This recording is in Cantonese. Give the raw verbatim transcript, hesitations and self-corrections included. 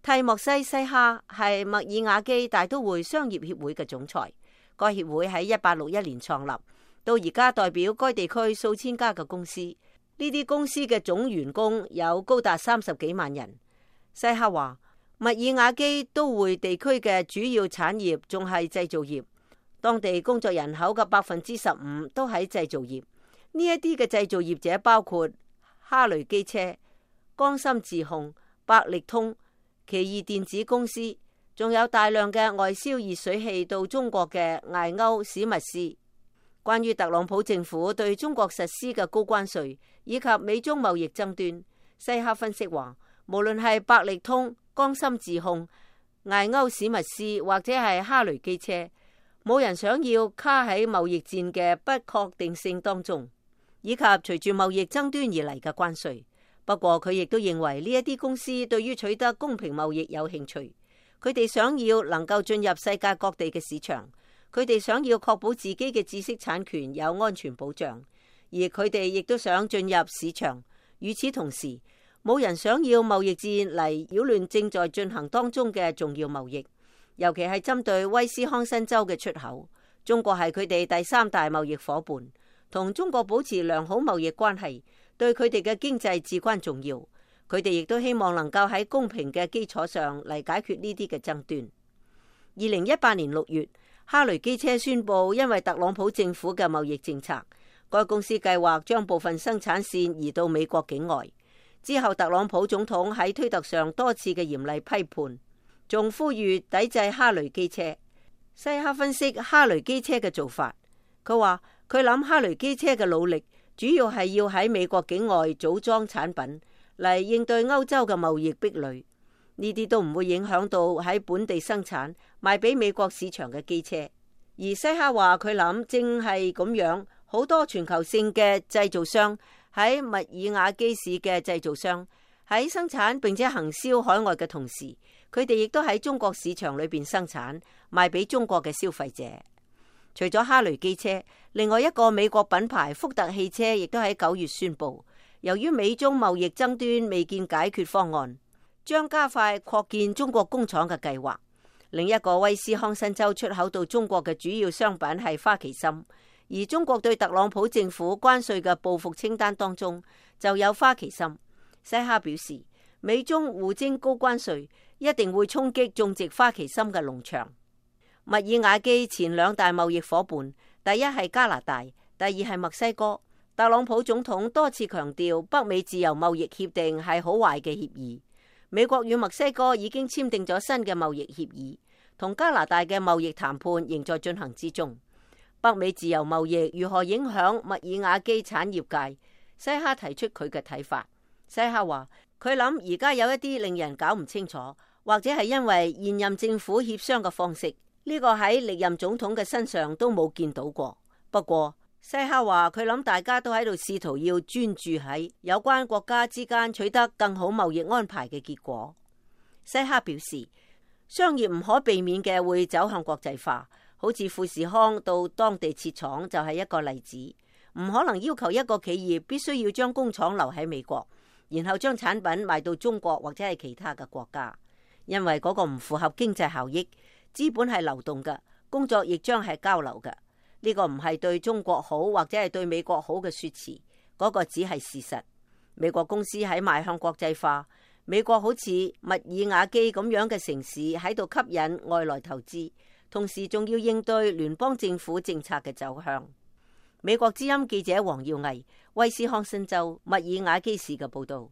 蒂莫西西哈係密爾瓦基大都會商業協會嘅總裁，該協會喺一八六一年創立，到而家代表該地區數千家嘅公司。呢啲公司嘅總員工有高達三十幾萬人。西哈話，密爾瓦基都會地區嘅主要產業仲係製造業，當地工作人口嘅百分之十五都喺製造業。呢一啲嘅製造業者包括哈雷機車、江森自控、百力通、奇異電子公司，仲有大量嘅外銷熱水器到中國嘅艾歐史密斯。關於特朗普政府對中國實施嘅高關稅以及美中貿易爭端，西哈分析話，無論係百力通、江森自控、艾歐史密斯或者係哈雷機車，冇人想要卡喺貿易戰嘅不確定性當中，以及隨住貿易爭端而嚟嘅關稅。不過佢亦都認為呢一啲公司對於取得公平貿易有興趣，佢哋想要能夠進入世界各地嘅市場，佢哋想要確保自己嘅知識產權有安全保障，而佢哋亦都想進入市場。與此同時，冇人想要貿易戰嚟擾亂正在進行當中嘅重要貿易，尤其係針對威斯康辛州嘅出口。中國係佢哋第三大貿易夥伴，同中國保持良好貿易關係，對佢哋嘅經濟至關重要。佢哋亦都希望能夠喺公平嘅基礎上嚟解決呢啲嘅爭端。二零一八年六月，哈雷機車宣布，因為特朗普政府嘅貿易政策，該公司計劃將部分生產線移到美國境外。之後，特朗普總統喺推特上多次嘅嚴厲批判，仲呼籲抵制哈雷機車。西哈分析哈雷機車嘅做法，佢話佢諗哈雷機車嘅努力主要係要喺美國境外組裝產品嚟應對歐洲嘅貿易壁壘，呢啲都唔會影響到喺本地生產賣俾美國市場嘅機車。而西哈話佢諗正係咁樣，好多全球性嘅製造商喺密爾瓦基市嘅製造商喺生產並且行銷海外嘅同時，佢哋亦都喺中國市場裏邊生產賣俾中國嘅消費者。除咗哈雷機車，另外一個美國品牌福特汽車亦都喺九月宣布，由於美中貿易爭端未見解決方案，將加快擴建中國工廠嘅計劃。另一個威斯康辛州出口到中國嘅主要商品係花旗參，而中國對特朗普政府關稅嘅報復清單當中就有花旗參。西哈表示，美中互徵高關稅一定會衝擊種植花旗參嘅農場。密爾瓦基前兩大貿易夥伴，第一係加拿大，第二係墨西哥。特朗普總統多次強調，北美自由貿易協定係好壞嘅協議。美國與墨西哥已經簽訂咗新嘅貿易協議，同加拿大嘅貿易談判仍在進行之中。北美自由貿易如何影響密爾瓦基產業界？西哈提出佢嘅睇法。西哈話佢諗而家有一啲令人搞唔清楚，或者係因為現任政府協商嘅方式。呢個喺歷任總統嘅身上都冇見到過。不過西哈話佢諗大家都喺度試圖要專注喺有關國家之間取得更好貿易安排嘅結果。西哈表示，商業唔可避免嘅會走向國際化，好似富士康到當地設廠就係一個例子。唔可能要求一個企業必須要將工廠留喺美國，然後將產品賣到中國或者係其他嘅國家，因為嗰個唔符合經濟效益。資本係流動嘅，工作亦將係交流嘅。呢個唔係對中國好或者係對美國好嘅說辭，嗰個只係事實。美國公司喺邁向國際化，美國好似密爾瓦基咁樣嘅城市喺度吸引外來投資，同時仲要應對聯邦政府政策嘅走向。美國之音記者黃耀毅，威斯康辛州密爾瓦基市嘅報道。